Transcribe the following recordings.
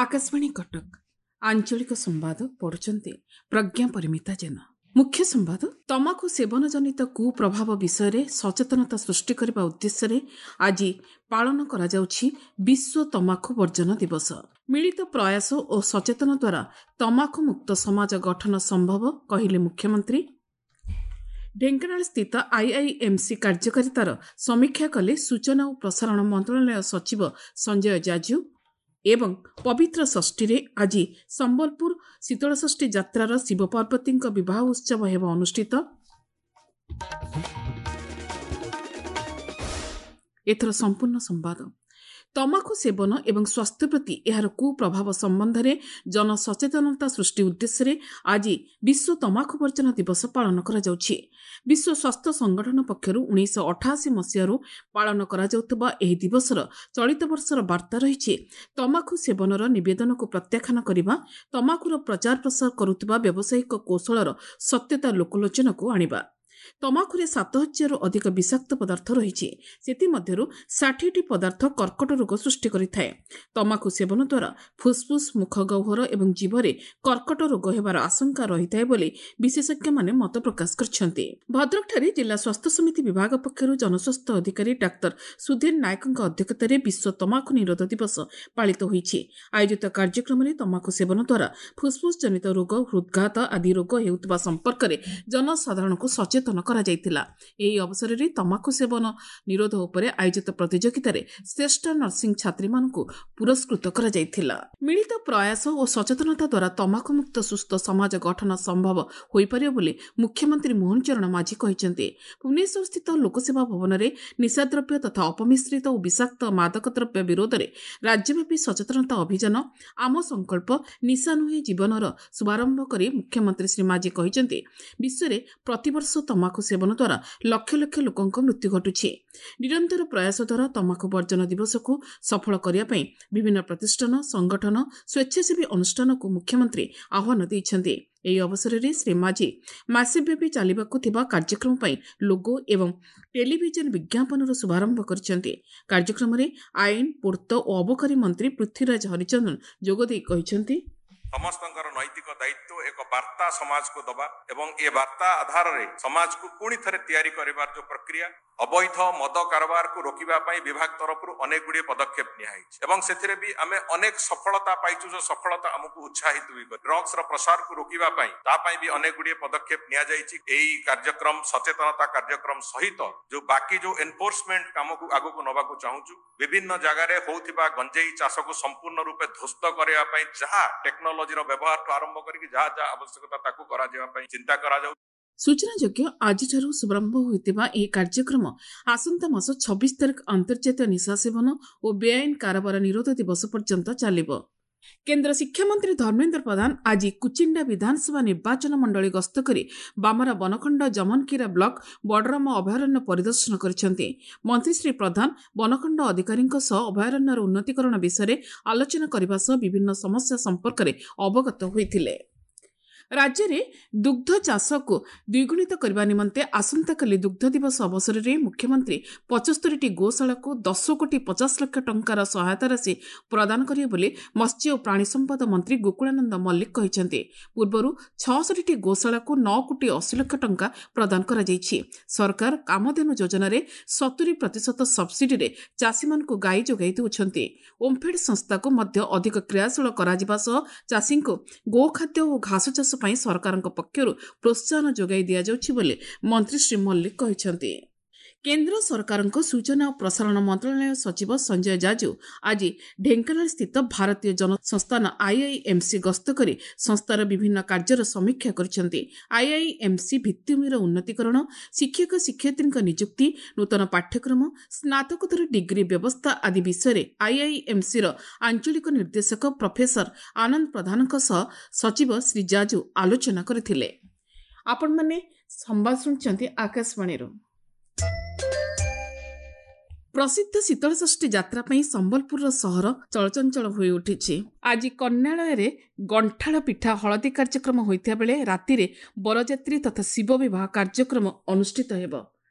ଆକାଶବାଣୀ କଟକ, ଆଞ୍ଚଳିକ ସମ୍ବାଦ ପଢୁଛନ୍ତି ପ୍ରଜ୍ଞା ପରିମିତା ଜେନା। ମୁଖ୍ୟ ସମ୍ବାଦ। ତମାଖୁ ସେବନ ଜନିତ କୁପ୍ରଭାବ ବିଷୟରେ ସଚେତନତା ସୃଷ୍ଟି କରିବା ଉଦ୍ଦେଶ୍ୟରେ ଆଜି ପାଳନ କରାଯାଉଛି ବିଶ୍ୱ ତମାଖୁ ବର୍ଜନ ଦିବସ। ମିଳିତ ପ୍ରୟାସ ଓ ସଚେତନ ଦ୍ୱାରା ତମାଖୁ ମୁକ୍ତ ସମାଜ ଗଠନ ସମ୍ଭବ, କହିଲେ ମୁଖ୍ୟମନ୍ତ୍ରୀ। ଢେଙ୍କାନାଳ ସ୍ଥିତ ଆଇଆଇଏମ୍ସି କାର୍ଯ୍ୟକାରିତାର ସମୀକ୍ଷା କଲେ ସୂଚନା ଓ ପ୍ରସାରଣ ମନ୍ତ୍ରଣାଳୟ ସଚିବ ସଞ୍ଜୟ ଜାଜୁ। ଏବଂ ପବିତ୍ର ଷଷ୍ଠୀରେ ଆଜି ସମ୍ବଲପୁର ଶୀତଳଷଷ୍ଠୀ ଯାତ୍ରାର ଶିବପାର୍ବତୀଙ୍କ ବିବାହ ଉତ୍ସବ ହେବ ଅନୁଷ୍ଠିତ। ଏଥର ସମ୍ପୂର୍ଣ୍ଣ ସମ୍ବାଦ। ତମାଖୁ ସେବନ ଏବଂ ସ୍ୱାସ୍ଥ୍ୟ ପ୍ରତି ଏହାର କୁପ୍ରଭାବ ସମ୍ବନ୍ଧରେ ଜନସଚେତନତା ସୃଷ୍ଟି ଉଦ୍ଦେଶ୍ୟରେ ଆଜି ବିଶ୍ୱ ତମାଖୁ ବର୍ଜନ ଦିବସ ପାଳନ କରାଯାଉଛି। ବିଶ୍ୱ ସ୍ୱାସ୍ଥ୍ୟ ସଂଗଠନ ପକ୍ଷରୁ 1988 ମସିହାରୁ ପାଳନ କରାଯାଉଥିବା ଏହି ଦିବସର ଚଳିତ ବର୍ଷର ବାର୍ତ୍ତା ରହିଛି, ତମାଖୁ ସେବନର ନିବେଦନକୁ ପ୍ରତ୍ୟାଖ୍ୟାନ କରିବା, ତମାଖୁର ପ୍ରଚାର ପ୍ରସାର କରୁଥିବା ବ୍ୟବସାୟିକ କୌଶଳର ସତ୍ୟତା ଲୋକଲୋଚନକୁ ଆଣିବା। ତମାଖୁରେ 7000ରୁ ଅଧିକ ବିଷାକ୍ତ ପଦାର୍ଥ ରହିଛି। ସେଥିମଧ୍ୟରୁ 60ଟି ପଦାର୍ଥ କର୍କଟ ରୋଗ ସୃଷ୍ଟି କରିଥାଏ। ତମାଖୁ ସେବନ ଦ୍ୱାରା ଫୁସ୍ଫୁସ୍, ମୁଖ ଗହ୍ୱର ଏବଂ ଜିଭରେ କର୍କଟ ରୋଗ ହେବାର ଆଶଙ୍କା ରହିଥାଏ ବୋଲି ବିଶେଷଜ୍ଞମାନେ ମତ ପ୍ରକାଶ କରିଛନ୍ତି। ଭଦ୍ରକଠାରେ ଜିଲ୍ଲା ସ୍ୱାସ୍ଥ୍ୟ ସମିତି ବିଭାଗ ପକ୍ଷରୁ ଜନସ୍ୱାସ୍ଥ୍ୟ ଅଧିକାରୀ ଡାକ୍ତର ସୁଧୀର ନାୟକଙ୍କ ଅଧ୍ୟକ୍ଷତାରେ ବିଶ୍ୱ ତମାଖୁ ନିରୋଧ ଦିବସ ପାଳିତ ହୋଇଛି। ଆୟୋଜିତ କାର୍ଯ୍ୟକ୍ରମରେ ତମାଖୁ ସେବନ ଦ୍ୱାରା ଫୁସ୍ଫୁସ୍ ଜନିତ ରୋଗ, ହୃଦ୍ଘାତ ଆଦି ରୋଗ ହେଉଥିବା ସମ୍ପର୍କରେ ଜନସାଧାରଣଙ୍କୁ ସଚେତନ କରାଯାଇଥିଲା। ଏହି ଅବସରରେ ତମାଖୁ ସେବନ ନିରୋଧ ଉପରେ ଆୟୋଜିତ ପ୍ରତିଯୋଗିତାରେ ଶ୍ରେଷ୍ଠ ନର୍ସିଂ ଛାତ୍ରୀମାନଙ୍କୁ ପୁରସ୍କୃତ କରାଯାଇଥିଲା। ମିଳିତ ପ୍ରୟାସ ଓ ସଚେତନତା ଦ୍ୱାରା ତମାଖୁମୁକ୍ତ ସୁସ୍ଥ ସମାଜ ଗଠନ ସମ୍ଭବ ହୋଇପାରିବ ବୋଲି ମୁଖ୍ୟମନ୍ତ୍ରୀ ମୋହନ ଚରଣ ମାଝୀ କହିଛନ୍ତି। ଭୁବନେଶ୍ୱରସ୍ଥିତ ଲୋକସେବା ଭବନରେ ନିଶାଦ୍ରବ୍ୟ ତଥା ଅପମିଶ୍ରିତ ଓ ବିଷାକ୍ତ ମାଦକ ଦ୍ରବ୍ୟ ବିରୋଧରେ ରାଜ୍ୟବ୍ୟାପୀ ସଚେତନତା ଅଭିଯାନ ଆମ ସଂକଳ୍ପ ନିଶା ନୁହେଁ ଜୀବନର ଶୁଭାରମ୍ଭ କରି ମୁଖ୍ୟମନ୍ତ୍ରୀ ଶ୍ରୀ ମାଝୀ କହିଛନ୍ତି, ବିଶ୍ୱରେ ପ୍ରତିବର୍ଷ ତମାଖୁ ସେବନ ଦ୍ୱାରା ଲକ୍ଷ ଲକ୍ଷ ଲୋକଙ୍କ ମୃତ୍ୟୁ ଘଟୁଛି। ନିରନ୍ତର ପ୍ରୟାସ ଦ୍ୱାରା ତମାଖୁ ବର୍ଜନ ଦିବସକୁ ସଫଳ କରିବା ପାଇଁ ବିଭିନ୍ନ ପ୍ରତିଷ୍ଠାନ, ସଂଗଠନ, ସ୍ୱେଚ୍ଛାସେବୀ ଅନୁଷ୍ଠାନକୁ ମୁଖ୍ୟମନ୍ତ୍ରୀ ଆହ୍ୱାନ ଦେଇଛନ୍ତି। ଏହି ଅବସରରେ ଶ୍ରୀ ମାଝୀ ମାସେବ୍ୟାପୀ ଚାଲିବାକୁ ଥିବା କାର୍ଯ୍ୟକ୍ରମ ପାଇଁ ଲୋଗୋ ଏବଂ ଟେଲିଭିଜନ ବିଜ୍ଞାପନର ଶୁଭାରମ୍ଭ କରିଛନ୍ତି। କାର୍ଯ୍ୟକ୍ରମରେ ଆଇନ, ପୂର୍ତ୍ତ ଓ ଅବକାରୀ ମନ୍ତ୍ରୀ ପୃଥ୍ୱୀରାଜ ହରିଚନ୍ଦନ ଯୋଗଦେଇ କହିଛନ୍ତି, ସମସ୍ତଙ୍କର ନୈତିକ ଦାୟିତ୍ୱ ଏକ ବାର୍ତ୍ତା ସମାଜକୁ ଦବା ଏବଂ ଏ ବାର୍ତ୍ତା ଆଧାରରେ ସମାଜକୁ ପୁଣି ଥରେ ତିଆରି କରିବାର ଯୋଉ ପ୍ରକ୍ରିୟା, ଅବୈଧ ମଦ କାରବାରକୁ ରୋକିବା ପାଇଁ ବିଭାଗ ତରଫରୁ ଅନେକ ଗୁଡ଼ିଏ ପଦକ୍ଷେପ ନିଆହେଇଛି ଏବଂ ସେଥିରେ ବି ଆମେ ଅନେକ ସଫଳତା ପାଇଛୁ, ଯୋଉ ସଫଳତା ଆମକୁ ଉତ୍ସାହିତ ବି କରେ। ଡ୍ରଗ୍ସର ପ୍ରସାରକୁ ରୋକିବା ପାଇଁ ତା ପାଇଁ ବି ଅନେକ ଗୁଡ଼ିଏ ପଦକ୍ଷେପ ନିଆଯାଇଛି। ଏଇ କାର୍ଯ୍ୟକ୍ରମ ସଚେତନତା କାର୍ଯ୍ୟକ୍ରମ ସହିତ ଯୋଉ ବାକି ଯୋଉ ଏନଫୋର୍ସମେଣ୍ଟ କାମକୁ ଆଗକୁ ନବାକୁ ଚାହୁଁଛୁ, ବିଭିନ୍ନ ଜାଗାରେ ହଉଥିବା ଗଞ୍ଜେଇ ଚାଷକୁ ସମ୍ପୂର୍ଣ୍ଣ ରୂପେ ଧ୍ୱସ୍ତ କରିବା ପାଇଁ ଯାହା ଟେକ୍ନୋଲୋଜିର ବ୍ୟବହାରଠୁ ଆରମ୍ଭ କରିକି ଯାହା ଯାହା ଆବଶ୍ୟକତା ତାକୁ କରାଯିବା ପାଇଁ ଚିନ୍ତା କରାଯାଉଛି। ସୂଚନାଯୋଗ୍ୟ, ଆଜିଠାରୁ ଶୁଭାରମ୍ଭ ହୋଇଥିବା ଏହି କାର୍ଯ୍ୟକ୍ରମ ଆସନ୍ତା ମାସ 26 ତାରିଖ ଅନ୍ତର୍ଜାତୀୟ ନିଶା ସେବନ ଓ ବେଆଇନ କାରବାର ନିରୋଧ ଦିବସ ପର୍ଯ୍ୟନ୍ତ ଚାଲିବ। କେନ୍ଦ୍ର ଶିକ୍ଷାମନ୍ତ୍ରୀ ଧର୍ମେନ୍ଦ୍ର ପ୍ରଧାନ ଆଜି କୁଚିଣ୍ଡା ବିଧାନସଭା ନିର୍ବାଚନ ମଣ୍ଡଳୀ ଗସ୍ତ କରି ବାମରା ବନଖଣ୍ଡ ଜମନକିରା ବ୍ଲକ ବଡରାମ ଅଭୟାରଣ୍ୟ ପରିଦର୍ଶନ କରିଛନ୍ତି। ମନ୍ତ୍ରୀ ଶ୍ରୀ ପ୍ରଧାନ ବନଖଣ୍ଡ ଅଧିକାରୀଙ୍କ ସହ ଅଭୟାରଣ୍ୟର ଉନ୍ନତିକରଣ ବିଷୟରେ ଆଲୋଚନା କରିବା ସହ ବିଭିନ୍ନ ସମସ୍ୟା ସମ୍ପର୍କରେ ଅବଗତ ହୋଇଥିଲେ। ରାଜ୍ୟରେ ଦୁଗ୍ଧ ଚାଷକୁ ଦ୍ୱିଗୁଣିତ କରିବା ନିମନ୍ତେ ଆସନ୍ତାକାଲି ଦୁଗ୍ଧ ଦିବସ ଅବସରରେ ମୁଖ୍ୟମନ୍ତ୍ରୀ 75ଟି ଗୋଶାଳାକୁ 10 କୋଟି 50 ଲକ୍ଷ ଟଙ୍କାର ସହାୟତା ରାଶି ପ୍ରଦାନ କରିବେ ବୋଲି ମତ୍ସ୍ୟ ଓ ପ୍ରାଣୀ ସମ୍ପଦ ମନ୍ତ୍ରୀ ଗୋକୁଳାନନ୍ଦ ମଲ୍ଲିକ କହିଛନ୍ତି। ପୂର୍ବରୁ 66ଟି ଗୋଶାଳାକୁ 9 କୋଟି 80 ଲକ୍ଷ ଟଙ୍କା ପ୍ରଦାନ କରାଯାଇଛି। ସରକାର କାମଧେନୁ ଯୋଜନାରେ 70% ସବସିଡିରେ ଚାଷୀମାନଙ୍କୁ ଗାଈ ଯୋଗାଇ ଦେଉଛନ୍ତି। ଓମ୍ଫେଡ୍ ସଂସ୍ଥାକୁ ମଧ୍ୟ ଅଧିକ କ୍ରିୟାଶୀଳ କରାଯିବା ସହ ଚାଷୀଙ୍କୁ ଗୋଖାଦ୍ୟ ଓ ଘାସ ଚାଷ ପାଇଁ ସରକାରଙ୍କ ପକ୍ଷରୁ ପ୍ରୋତ୍ସାହନ ଯୋଗାଇ ଦିଆଯାଉଛି ବୋଲି ମନ୍ତ୍ରୀ ଶ୍ରୀ ମଲ୍ଲିକ କହିଛନ୍ତି। କେନ୍ଦ୍ର ସରକାରଙ୍କ ସୂଚନା ଓ ପ୍ରସାରଣ ମନ୍ତ୍ରଣାଳୟ ସଚିବ ସଞ୍ଜୟ ଜାଜୁ ଆଜି ଢେଙ୍କାନାଳ ସ୍ଥିତ ଭାରତୀୟ ଜନସଂସ୍ଥାନ ଆଇଆଇଏମ୍ସି ଗସ୍ତ କରି ସଂସ୍ଥାର ବିଭିନ୍ନ କାର୍ଯ୍ୟର ସମୀକ୍ଷା କରିଛନ୍ତି। ଆଇଆଇଏମ୍ସି ଭିତ୍ତିଭୂମିର ଉନ୍ନତିକରଣ, ଶିକ୍ଷକ ଶିକ୍ଷୟିତ୍ରୀଙ୍କ ନିଯୁକ୍ତି, ନୂତନ ପାଠ୍ୟକ୍ରମ, ସ୍ନାତକୋତ୍ତର ଡିଗ୍ରୀ ବ୍ୟବସ୍ଥା ଆଦି ବିଷୟରେ ଆଇଆଇଏମ୍ସିର ଆଞ୍ଚଳିକ ନିର୍ଦ୍ଦେଶକ ପ୍ରଫେସର ଆନନ୍ଦ ପ୍ରଧାନଙ୍କ ସହ ସଚିବ ଶ୍ରୀ ଜାଜୁ ଆଲୋଚନା କରିଥିଲେ। ଆପଣମାନେ ସମ୍ବାଦ ଶୁଣୁଛନ୍ତି ଆକାଶବାଣୀରୁ। ପ୍ରସିଦ୍ଧ ଶୀତଳଷଷ୍ଠୀ ଯାତ୍ରା ପାଇଁ ସମ୍ବଲପୁରର ସହର ଚଳଚଞ୍ଚଳ ହୋଇଉଠିଛି। ଆଜି କନ୍ୟାଳୟରେ ଗଣ୍ଠାଳ ପିଠା ହଳଦୀ କାର୍ଯ୍ୟକ୍ରମ ହୋଇଥିବା ବେଳେ ରାତିରେ ବରଯାତ୍ରୀ ତଥା ଶିବ ବିବାହ କାର୍ଯ୍ୟକ୍ରମ ଅନୁଷ୍ଠିତ ହେବ।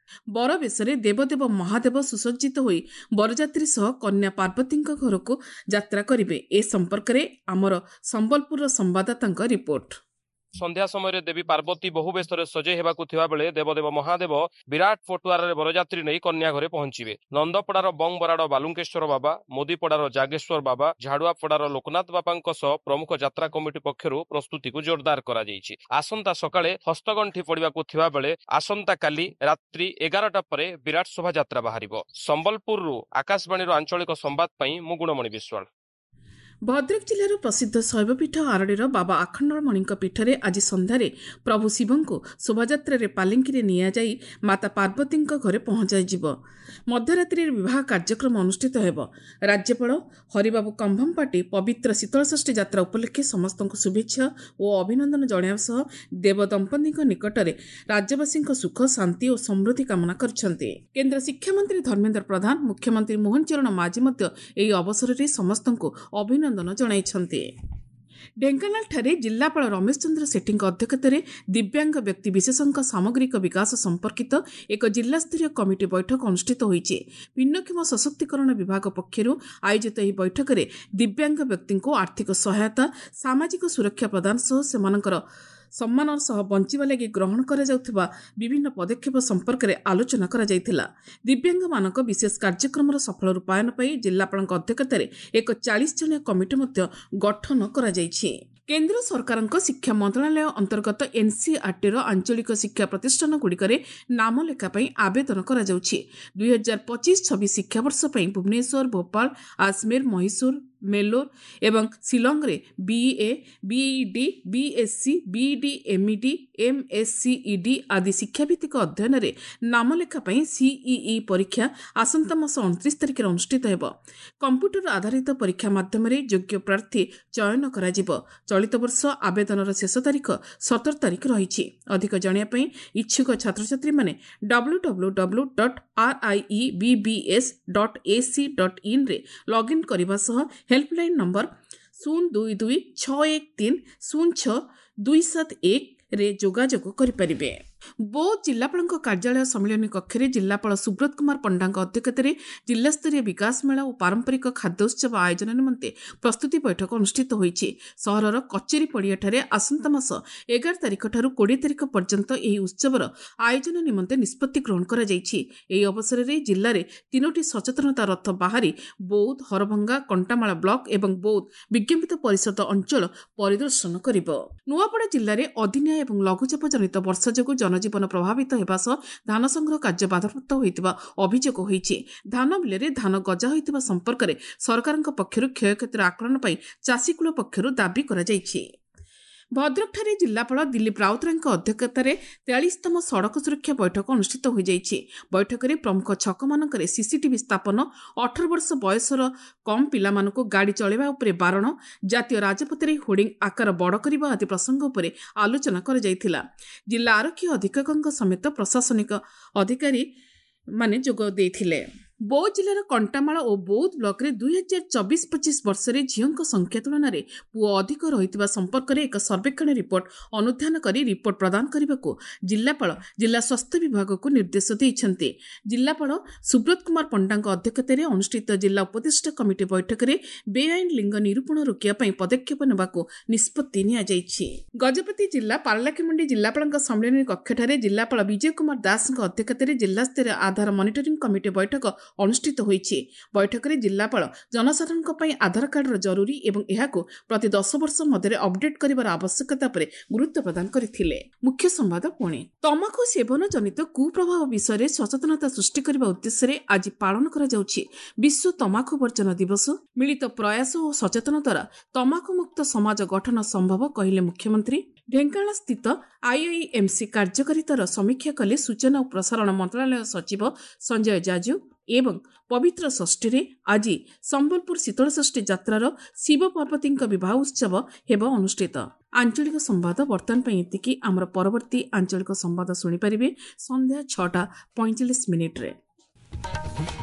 ବରବେଶରେ ଦେବଦେବ ମହାଦେବ ସୁସଜ୍ଜିତ ହୋଇ ବରଯାତ୍ରୀ ସହ କନ୍ୟା ପାର୍ବତୀଙ୍କ ଘରକୁ ଯାତ୍ରା କରିବେ। ଏ ସମ୍ପର୍କରେ ଆମର ସମ୍ବଲପୁରର ସମ୍ବାଦଦାତାଙ୍କ ରିପୋର୍ଟ। ସନ୍ଧ୍ୟା ସମୟରେ ଦେବୀ ପାର୍ବତୀ ବହୁ ବେଶରେ ସଜେଇ ହେବାକୁ ଥିବା ବେଳେ ଦେବଦେବ ମହାଦେବ ବିରାଟ ପଟୁଆରରେ ବରଯାତ୍ରୀ ନେଇ କନ୍ୟା ଘରେ ପହଞ୍ଚିବେ। ନନ୍ଦପଡ଼ାର ବଂ ବରାଡ଼ ବାଲୁଙ୍କେଶ୍ୱର ବାବା, ମୋଦିପଡ଼ାର ଜାଗେଶ୍ୱର ବାବା, ଝାଡୁଆପଡ଼ାର ଲୋକନାଥ ବାବାଙ୍କ ସହ ପ୍ରମୁଖ ଯାତ୍ରା କମିଟି ପକ୍ଷରୁ ପ୍ରସ୍ତୁତିକୁ ଜୋରଦାର କରାଯାଇଛି। ଆସନ୍ତା ସକାଳେ ହସ୍ତଗଣ୍ଠି ପଡ଼ିବାକୁ ଥିବା ବେଳେ ଆସନ୍ତାକାଲି ରାତ୍ରି 11ଟା ପରେ ବିରାଟ ଶୋଭାଯାତ୍ରା ବାହାରିବ। ସମ୍ବଲପୁରରୁ ଆକାଶବାଣୀର ଆଞ୍ଚଳିକ ସମ୍ବାଦ ପାଇଁ ମୁଁ ଗୁଣମଣି ବିଶ୍ୱାଳ। ଭଦ୍ରକ ଜିଲ୍ଲାର ପ୍ରସିଦ୍ଧ ଶୈବପୀଠ ଆରଡ଼ିର ବାବା ଆଖଣ୍ଡଳମଣିଙ୍କ ପୀଠରେ ଆଜି ସନ୍ଧ୍ୟାରେ ପ୍ରଭୁ ଶିବଙ୍କୁ ଶୋଭାଯାତ୍ରାରେ ପାଲିଙ୍କିରେ ନିଆଯାଇ ମାତା ପାର୍ବତୀଙ୍କ ଘରେ ପହଞ୍ଚାଯିବ। ମଧ୍ୟରାତ୍ରିରେ ବିବାହ କାର୍ଯ୍ୟକ୍ରମ ଅନୁଷ୍ଠିତ ହେବ। ରାଜ୍ୟପାଳ ହରିବାବୁ କମ୍ଭମପାଟି ପବିତ୍ର ଶୀତଳଷଷ୍ଠୀ ଯାତ୍ରା ଉପଲକ୍ଷେ ସମସ୍ତଙ୍କୁ ଶୁଭେଚ୍ଛା ଓ ଅଭିନନ୍ଦନ ଜଣାଇବା ସହ ଦେବଦମ୍ପତିଙ୍କ ନିକଟରେ ରାଜ୍ୟବାସୀଙ୍କ ସୁଖ, ଶାନ୍ତି ଓ ସମୃଦ୍ଧି କାମନା କରିଛନ୍ତି। କେନ୍ଦ୍ର ଶିକ୍ଷାମନ୍ତ୍ରୀ ଧର୍ମେନ୍ଦ୍ର ପ୍ରଧାନ, ମୁଖ୍ୟମନ୍ତ୍ରୀ ମୋହନ ଚରଣ ମାଝୀ ମଧ୍ୟ ଏହି ଅବସରରେ ସମସ୍ତଙ୍କୁ ଅଭିନନ୍ଦନ ଜଣାଇଛନ୍ତି। ଢେଙ୍କାନାଳଠାରେ ଜିଲ୍ଲାପାଳ ରମେଶ ଚନ୍ଦ୍ର ସେଠୀଙ୍କ ଅଧ୍ୟକ୍ଷତାରେ ଦିବ୍ୟାଙ୍ଗ ବ୍ୟକ୍ତି ବିଶେଷଙ୍କ ସାମଗ୍ରିକ ବିକାଶ ସମ୍ପର୍କିତ ଏକ ଜିଲ୍ଲାସ୍ତରୀୟ କମିଟି ବୈଠକ ଅନୁଷ୍ଠିତ ହୋଇଛି। ଭିନ୍ନକ୍ଷମ ସଶକ୍ତିକରଣ ବିଭାଗ ପକ୍ଷରୁ ଆୟୋଜିତ ଏହି ବୈଠକରେ ଦିବ୍ୟାଙ୍ଗ ବ୍ୟକ୍ତିଙ୍କୁ ଆର୍ଥିକ ସହାୟତା, ସାମାଜିକ ସୁରକ୍ଷା ପ୍ରଦାନ ସହ ସେମାନଙ୍କର ସମ୍ମାନର ସହ ବଞ୍ଚିବା ଲାଗି ଗ୍ରହଣ କରାଯାଉଥିବା ବିଭିନ୍ନ ପଦକ୍ଷେପ ସମ୍ପର୍କରେ ଆଲୋଚନା କରାଯାଇଥିଲା। ଦିବ୍ୟାଙ୍ଗମାନଙ୍କ ବିଶେଷ କାର୍ଯ୍ୟକ୍ରମର ସଫଳ ରୂପାୟନ ପାଇଁ ଜିଲ୍ଲାପାଳଙ୍କ ଅଧ୍ୟକ୍ଷତାରେ ଏକ 40 ଜଣିଆ କମିଟି ମଧ୍ୟ ଗଠନ କରାଯାଇଛି। କେନ୍ଦ୍ର ସରକାରଙ୍କ ଶିକ୍ଷା ମନ୍ତ୍ରଣାଳୟ ଅନ୍ତର୍ଗତ ଏନ୍ସିଆରଟିର ଆଞ୍ଚଳିକ ଶିକ୍ଷା ପ୍ରତିଷ୍ଠାନଗୁଡ଼ିକରେ ନାମଲେଖା ପାଇଁ ଆବେଦନ କରାଯାଉଛି। 2025-26 ଶିକ୍ଷାବର୍ଷ ପାଇଁ ଭୁବନେଶ୍ୱର, ଭୋପାଳ, ଆଜମେର, ମହୀଶୂର, ମେଲୋର ଏବଂ ଶିଲଂରେ BA, BEd, BSc, BEd, MEd, ଏମ୍ଏସ୍ସିଇଡି ଆଦି ଶିକ୍ଷାଭିତ୍ତିକ ଅଧ୍ୟୟନରେ ନାମଲେଖା ପାଇଁ ସିଇଇ ପରୀକ୍ଷା ଆସନ୍ତା ମାସ 29 ତାରିଖରେ ଅନୁଷ୍ଠିତ ହେବ। କମ୍ପ୍ୟୁଟର ଆଧାରିତ ପରୀକ୍ଷା ମାଧ୍ୟମରେ ଯୋଗ୍ୟ ପ୍ରାର୍ଥୀ ଚୟନ କରାଯିବ। ଚଳିତ ବର୍ଷ ଆବେଦନର ଶେଷ ତାରିଖ 17 ତାରିଖ ରହିଛି। ଅଧିକ ଜାଣିବା ପାଇଁ ଇଚ୍ଛୁକ ଛାତ୍ରଛାତ୍ରୀମାନେ www.riebbs.ac.in ରେ ଲଗ୍ଇନ୍ କରିବା ସହ ହେଲ୍ପଲାଇନ୍ ନମ୍ବର 022 613 06271 ରେ ଯୋଗାଯୋଗ କରିପାରିବେ। ବୌଦ୍ଧ ଜିଲ୍ଲାପାଳଙ୍କ କାର୍ଯ୍ୟାଳୟ ସମ୍ମିଳନୀ କକ୍ଷରେ ଜିଲ୍ଲାପାଳ ସୁବ୍ରତ କୁମାର ପଣ୍ଡାଙ୍କ ଅଧ୍ୟକ୍ଷତାରେ ଜିଲ୍ଲାସ୍ତରୀୟ ବିକାଶ ମେଳା ଓ ପାରମ୍ପରିକ ଖାଦ୍ୟ ଉତ୍ସବ ଆୟୋଜନ ନିମନ୍ତେ ପ୍ରସ୍ତୁତି ବୈଠକ ଅନୁଷ୍ଠିତ ହୋଇଛି। ସହରର କଚେରୀ ପଡ଼ିଆଠାରେ ଆସନ୍ତା ମାସ 11 ତାରିଖଠାରୁ 20 ତାରିଖ ପର୍ଯ୍ୟନ୍ତ ଏହି ଉତ୍ସବର ଆୟୋଜନ ନିମନ୍ତେ ନିଷ୍ପତ୍ତି ଗ୍ରହଣ କରାଯାଇଛି। ଏହି ଅବସରରେ ଜିଲ୍ଲାରେ 3ଟି ସଚେତନତା ରଥ ବାହାରି ବୌଦ୍ଧ, ହରଭଙ୍ଗା, କଣ୍ଟାମାଳ ବ୍ଲକ ଏବଂ ବୌଦ୍ଧ ବିଜ୍ଞାପିତ ପରିଷଦ ଅଞ୍ଚଳ ପରିଦର୍ଶନ କରିବ। ନୂଆପଡ଼ା ଜିଲ୍ଲାରେ ଅଦିନିଆ ଏବଂ ଲଘୁଚାପ ଜନିତ ବର୍ଷା ଯୋଗୁଁ ଜନଜୀବନ ପ୍ରଭାବିତ ହେବା ସହ ଧାନ ସଂଗ୍ରହ କାର୍ଯ୍ୟ ବାଧାପ୍ରାପ୍ତ ହୋଇଥିବା ଅଭିଯୋଗ ହୋଇଛି। ଧାନ ବିଲରେ ଧାନ ଗଜା ହୋଇଥିବା ସମ୍ପର୍କରେ ସରକାରଙ୍କ ପକ୍ଷରୁ କ୍ଷୟକ୍ଷତିର ଆକଳନ ପାଇଁ ଚାଷୀକୁଳ ପକ୍ଷରୁ ଦାବି କରାଯାଇଛି। ଭଦ୍ରକଠାରେ ଜିଲ୍ଲାପାଳ ଦିଲ୍ଲୀପ ରାଉତରାୟଙ୍କ ଅଧ୍ୟକ୍ଷତାରେ 43ତମ ସଡ଼କ ସୁରକ୍ଷା ବୈଠକ ଅନୁଷ୍ଠିତ ହୋଇଯାଇଛି। ବୈଠକରେ ପ୍ରମୁଖ ଛକମାନଙ୍କରେ ସିସିଟିଭି ସ୍ଥାପନ, 18 ବର୍ଷ ବୟସର କମ୍ ପିଲାମାନଙ୍କୁ ଗାଡ଼ି ଚଳାଇବା ଉପରେ ବାରଣ, ଜାତୀୟ ରାଜପଥରେ ହୋର୍ଡିଂ ଆକାର ବଡ଼ କରିବା ଆଦି ପ୍ରସଙ୍ଗ ଉପରେ ଆଲୋଚନା କରାଯାଇଥିଲା। ଜିଲ୍ଲା ଆରକ୍ଷୀ ଅଧୀକ୍ଷକଙ୍କ ସମେତ ପ୍ରଶାସନିକ ଅଧିକାରୀମାନେ ଯୋଗ ଦେଇଥିଲେ। ବୌଦ୍ଧ ଜିଲ୍ଲାର କଣ୍ଟାମାଳ ଓ ବୌଦ୍ଧ ବ୍ଲକରେ 2024-25 ବର୍ଷରେ ଝିଅଙ୍କ ସଂଖ୍ୟା ତୁଳନାରେ ପୁଅ ଅଧିକ ରହିଥିବା ସମ୍ପର୍କରେ ଏକ ସର୍ବେକ୍ଷଣ ରିପୋର୍ଟ ଅନୁଧ୍ୟାନ କରି ରିପୋର୍ଟ ପ୍ରଦାନ କରିବାକୁ ଜିଲ୍ଲାପାଳ ଜିଲ୍ଲା ସ୍ୱାସ୍ଥ୍ୟ ବିଭାଗକୁ ନିର୍ଦ୍ଦେଶ ଦେଇଛନ୍ତି। ଜିଲ୍ଲାପାଳ ସୁବ୍ରତ କୁମାର ପଣ୍ଡାଙ୍କ ଅଧ୍ୟକ୍ଷତାରେ ଅନୁଷ୍ଠିତ ଜିଲ୍ଲା ଉପଦେଷ୍ଟା କମିଟି ବୈଠକରେ ବେଆଇନ ଲିଙ୍ଗ ନିରୂପଣ ରୋକିବା ପାଇଁ ପଦକ୍ଷେପ ନେବାକୁ ନିଷ୍ପତ୍ତି ନିଆଯାଇଛି। ଗଜପତି ଜିଲ୍ଲା ପାରଳାଖେମୁଣ୍ଡି ଜିଲ୍ଲାପାଳଙ୍କ ସମ୍ମିଳନୀ କକ୍ଷଠାରେ ଜିଲ୍ଲାପାଳ ବିଜୟ କୁମାର ଦାସଙ୍କ ଅଧ୍ୟକ୍ଷତାରେ ଜିଲ୍ଲାସ୍ତରୀୟ ଆଧାର ମନିଟରିଂ କମିଟି ବୈଠକ ଅନୁଷ୍ଠିତ ହୋଇଛି। ବୈଠକରେ ଜିଲ୍ଲାପାଳ ଜନସାଧାରଣଙ୍କ ପାଇଁ ଆଧାର କାର୍ଡର ଜରୁରୀ ଏବଂ ଏହାକୁ ପ୍ରତି 10 ବର୍ଷ ମଧ୍ୟରେ ଅପଡେଟ୍ କରିବାର ଆବଶ୍ୟକତା ଉପରେ ଗୁରୁତ୍ୱ ପ୍ରଦାନ କରିଥିଲେ। ମୁଖ୍ୟ ସମ୍ବାଦ ପୁଣି। ତମାଖୁ ସେବନ ଜନିତ କୁପ୍ରଭାବ ବିଷୟରେ ସଚେତନତା ସୃଷ୍ଟି କରିବା ଉଦ୍ଦେଶ୍ୟରେ ଆଜି ପାଳନ କରାଯାଉଛି ବିଶ୍ୱ ତମାଖୁ ବର୍ଜନ ଦିବସ। ମିଳିତ ପ୍ରୟାସ ଓ ସଚେତନତା ଦ୍ୱାରା ତମାଖୁ ମୁକ୍ତ ସମାଜ ଗଠନ ସମ୍ଭବ କହିଲେ ମୁଖ୍ୟମନ୍ତ୍ରୀ। ଢେଙ୍କାନାଳ ସ୍ଥିତ ଆଇଆଇଏମ୍ସି କାର୍ଯ୍ୟକାରିତାର ସମୀକ୍ଷା କଲେ ସୂଚନା ଓ ପ୍ରସାରଣ ମନ୍ତ୍ରଣାଳୟ ସଚିବ ସଞ୍ଜୟ ଜାଜୁ। ଏବଂ ପବିତ୍ର ଷଷ୍ଠୀରେ ଆଜି ସମ୍ବଲପୁର ଶୀତଳଷଷ୍ଠୀ ଯାତ୍ରାର ଶିବ ପାର୍ବତୀଙ୍କ ବିବାହ ଉତ୍ସବ ହେବ ଅନୁଷ୍ଠିତ। ଆଞ୍ଚଳିକ ସମ୍ବାଦ ବର୍ତ୍ତମାନ ପାଇଁ ଏତିକି। ଆମର ପରବର୍ତ୍ତୀ ଆଞ୍ଚଳିକ ସମ୍ବାଦ ଶୁଣିପାରିବେ ସନ୍ଧ୍ୟା 6:45।